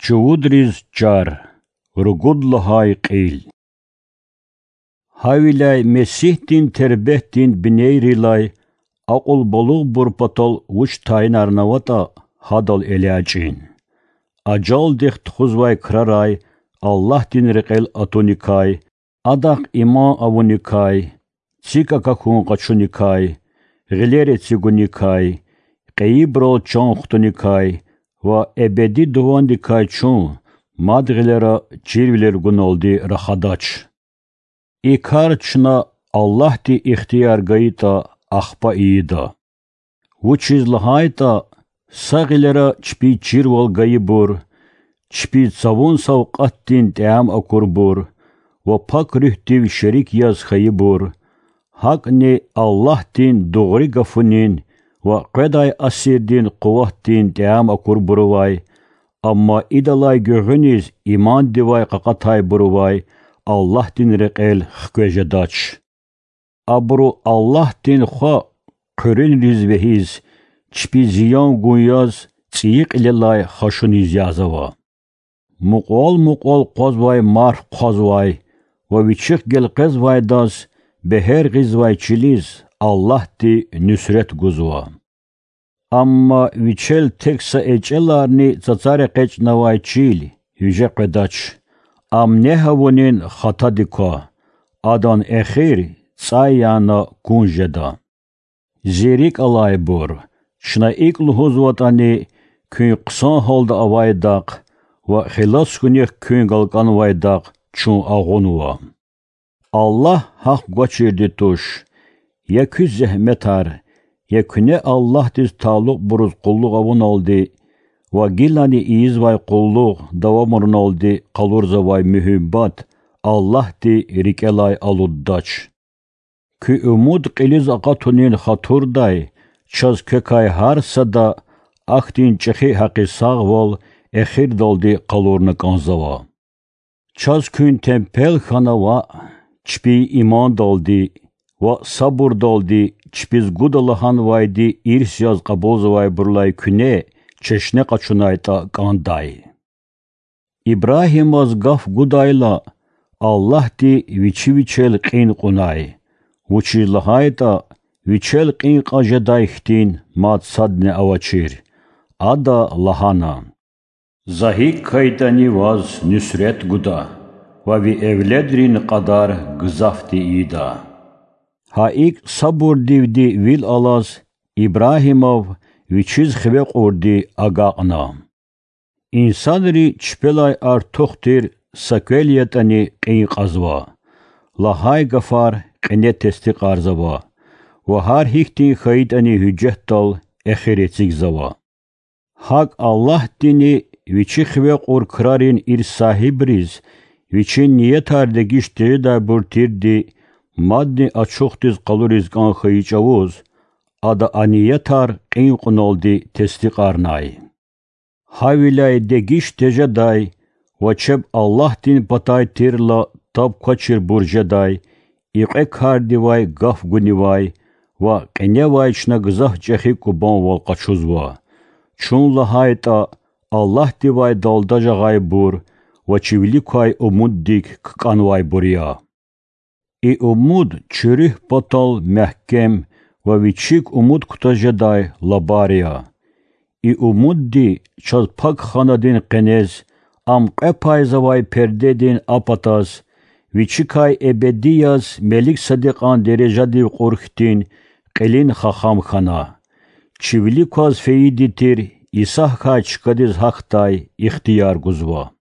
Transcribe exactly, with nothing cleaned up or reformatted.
Чувудриз чар. Ругуд лагьай кьил. Гьавиляй Месигьдин тербетдин бинейрилай акьулбалугъбур патал вуч тайинарнаватӀа, гьадал элячӀин. Ажалдихъ тухузвай крарай Аллагьдин рекьел атуникай, Адахъ иман авуникай, цик акахьун къачуникай, гъилер эцигуникай, кьейибурал чан хтуникай ва эбеди дувандикай чун мад гъилера чирвилер гуналди рахадач. И кар чна Аллагьди ихтияр гайитӀа, ахпа ийида. Вучиз лагьайтӀа са гъилера чпиз чирвал гайибур, чпиз цавун савкьватдин тӀям акурбур ва Пак Руьгьдив шерик яз хьайибур, гьакӀни Аллагьдин дугъри гафунин ва къведай асирдин къуватдин тӀям акурбурувай, амма идалай гуьгъуьниз имандивай къакъатайбурувай Аллагьдин рекьел хкве жедач. Абуру Аллагьдин Хва хъуьруьнриз вегьиз, чпиз зиян гун яз цӀийи кьилелай хашуниз язава. Мукьвал-мукьвал къвазвай марф хъвазвай ва вичихъ гелкъвезвайдаз бегьер гъизвай чилиз Аллагьди нуьсрет гузва. Амма вичел тек са эчӀеларни цацар экъечӀнавай чил виже къведач. Ам негь авунин хатади ква, адан эхир цӀай яна кун жеда. Зи рикӀ алайбур, чна икӀ лугьузватӀани, куьн хъсан гьалда авайдахъ ва хилас хьунихъ куьн галкӀанвайдахъ чун агъунва. Аллагь гьахъ гвачирди туш, я куь зегьметар, я куьне Аллагьдиз талукьбуруз къуллугъ авуналди ва гилани ийизвай къуллугъ давамаруналди къалурзавай муьгьуьббат Аллагьди рикӀелай алуддач. Куь умуд кьилиз акъатунин хатурдай чаз квекай гьар сада ахьтин чӀехи гьакъисагъвал эхирдалди къалурна кӀанзава. Чаз куьн темпел хьана ваъ, чпин имандалди ва сабурдалди чпиз гуда лагьанвайди ирс яз кьабулзавайбурулай куьне чешне къачунайтӀа кӀандай. Ибрагьимаз гаф гудайла, Аллагьди вичи вичел кьин кьунай, вучиз лагьайтӀа вичел кьин кьаз жедай хьтин мад садни авачир. Ада лагьана: За гьикӀ хьайитӀани ваз нуьсрет гуда ва ви эвледрин кьадар гзафди ийида. Гьа икӀ сабурдивди вил алаз, Ибрагьимав вичиз хиве кьурди агакьна. Инсанри чпелай артух тир са квел ятӀани кьин кьазва, лагьай гафар кьине тестикьарзава ва гьар гьихьтин хьайитӀани гьуьжетдал эхир эцигзава. ГьакӀ Аллагьдини Вичи хиве кьур крарин ирс сагьибриз Вичин ниятар дегиш тежедайбур тирди мадни ачухдиз къалуриз кӀан хьайи чӀавуз Ада а ниятар кьин кьуналди тестикьарнай. Гьавиляй дегиш тежедай ва чеб Аллагьдин патай тирла таб квачирбур жедай и кьве кардивай гаф гунивай ва кьиневай чна гзаф чӀехи кӀубанвал къачузва, чун лагьайтӀа Аллагьдивай далда жагъайбур ва чи вилик квай умуддик ккӀанвайбур я. И умуд чи руьгь патал мягькем ва вичик умуд кутаз жедай лабар я. И умудди чаз пак ханадин къенез, ам кьве пайзавай пердедин а патаз, вичикай эбеди яз мелик садикьан дережадив кьур хьтин кьилин хахам хьана. Чи вилик кваз фейиди тир Иса гьахьай чкадиз гьахьдай ихтияр гузва.